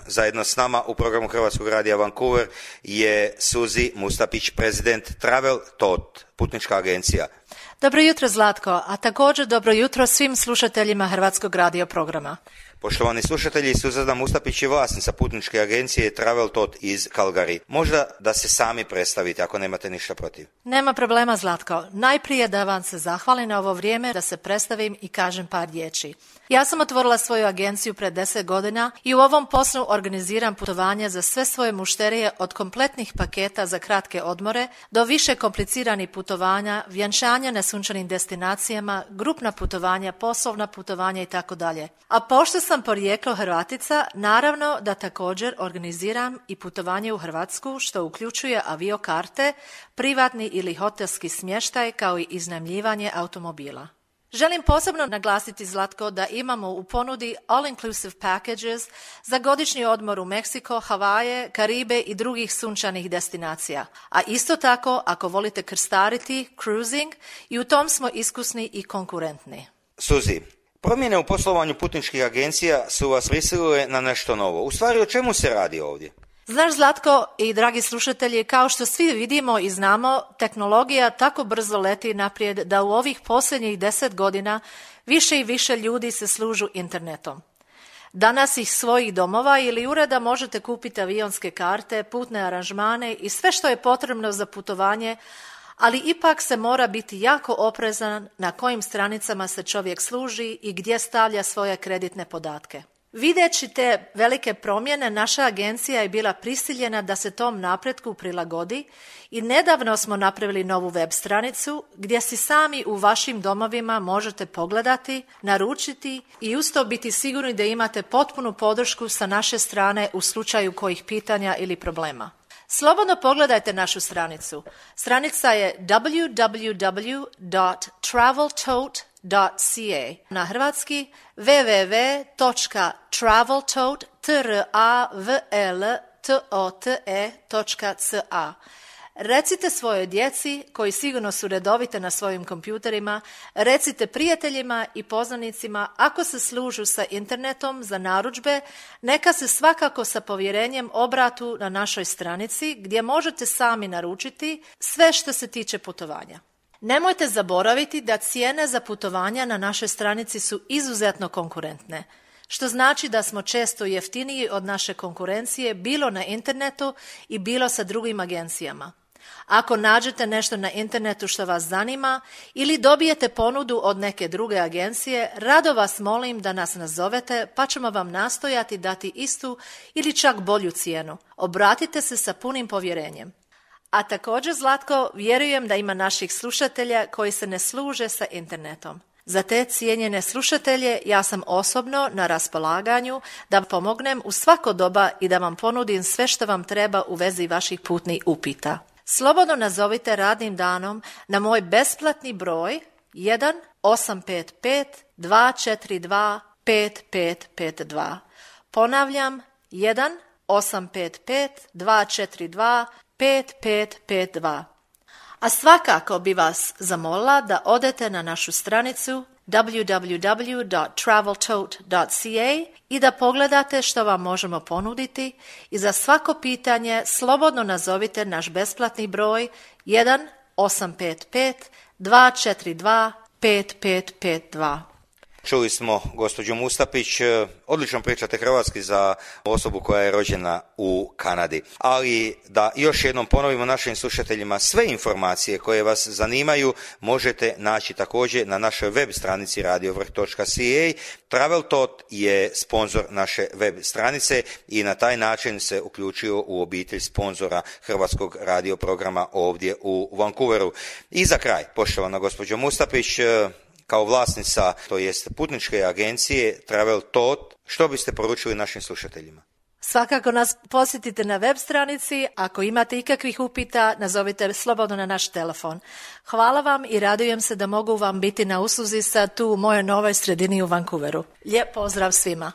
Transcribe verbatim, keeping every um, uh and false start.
zajedno s nama u programu Hrvatskog radija Vancouver je Suzy Mustapić, prezident Travel Thought, putnička agencija. Dobro jutro Zlatko, a također dobro jutro svim slušateljima Hrvatskog radio programa. Poštovani slušatelji, Suzana Mustapić je vlasnica putničke agencije Travel Thought iz Calgary. Možda da se sami predstavite ako nemate ništa protiv. Nema problema Zlatko. Najprije da vam se zahvalim na ovo vrijeme da se predstavim i kažem par riječi. Ja sam otvorila svoju agenciju pred deset godina i u ovom poslu organiziram putovanja za sve svoje mušterije od kompletnih paketa za kratke odmore do više kompliciranih putovanja, vjenčanja na sunčanim destinacijama, grupna putovanja, poslovna putovanja i tako dalje. A pošto sam porijeklo Hrvatica, naravno da također organiziram i putovanje u Hrvatsku što uključuje aviokarte, privatni ili hotelski smještaj kao i iznajmljivanje automobila. Želim posebno naglasiti Zlatko da imamo u ponudi all-inclusive packages za godišnji odmor u Meksiko, Havaje, Karibe i drugih sunčanih destinacija. A isto tako, ako volite krstariti, cruising, i u tom smo iskusni i konkurentni. Suzy, promjene u poslovanju putničkih agencija su vas prisilile na nešto novo. U stvari, o čemu se radi ovdje? Znaš Zlatko i dragi slušatelji, kao što svi vidimo i znamo, tehnologija tako brzo leti naprijed da u ovih posljednjih deset godina više i više ljudi se služu internetom. Danas iz svojih domova ili ureda možete kupiti avionske karte, putne aranžmane i sve što je potrebno za putovanje, ali ipak se mora biti jako oprezan na kojim stranicama se čovjek služi i gdje stavlja svoje kreditne podatke. Videći te velike promjene, naša agencija je bila prisiljena da se tom napretku prilagodi i nedavno smo napravili novu web stranicu gdje si sami u vašim domovima možete pogledati, naručiti i uz to biti sigurni da imate potpunu podršku sa naše strane u slučaju kojih pitanja ili problema. Slobodno pogledajte našu stranicu. Stranica je w w w dot travel tote dot c a. Na hrvatski w w w dot travel tote dot c a. Recite svojoj djeci, koji sigurno su redovite na svojim kompjuterima, recite prijateljima i poznanicima ako se služu sa internetom za narudžbe, neka se svakako sa povjerenjem obratu na našoj stranici gdje možete sami naručiti sve što se tiče putovanja. Nemojte zaboraviti da cijene za putovanja na našoj stranici su izuzetno konkurentne, što znači da smo često jeftiniji od naše konkurencije bilo na internetu i bilo sa drugim agencijama. Ako nađete nešto na internetu što vas zanima ili dobijete ponudu od neke druge agencije, rado vas molim da nas nazovete pa ćemo vam nastojati dati istu ili čak bolju cijenu. Obratite se sa punim povjerenjem. A također, Zlatko, vjerujem da ima naših slušatelja koji se ne služe sa internetom. Za te cijenjene slušatelje ja sam osobno na raspolaganju da pomognem u svako doba i da vam ponudim sve što vam treba u vezi vaših putnih upita. Slobodno nazovite radnim danom na moj besplatni broj jedan osam pet pet dva četiri dva pet pet pet dva. Ponavljam, jedan osam pet pet dva četiri dva pet pet pet dva. A svakako bi vas zamolila da odete na našu stranicu w w w dot travel tote dot c a i da pogledate što vam možemo ponuditi i za svako pitanje slobodno nazovite naš besplatni broj jedan osam pet pet dva četiri dva pet pet pet dva. Čuli smo gospođu Mustapić, odlično pričate hrvatski za osobu koja je rođena u Kanadi. Ali da još jednom ponovimo našim slušateljima, sve informacije koje vas zanimaju možete naći također na našoj web stranici radiovrh dot c a. Travel Thought je sponzor naše web stranice i na taj način se uključio u obitelj sponzora hrvatskog radio programa ovdje u Vancouveru. I za kraj, poštovana gospođo Mustapić, kao vlasnica, to jest putničke agencije Travel Thought, što biste poručili našim slušateljima? Svakako nas posjetite na web stranici. Ako imate ikakvih upita, nazovite slobodno na naš telefon. Hvala vam i radujem se da mogu vam biti na usluzi sad tu u mojoj novoj sredini u Vancouveru. Lijep pozdrav svima!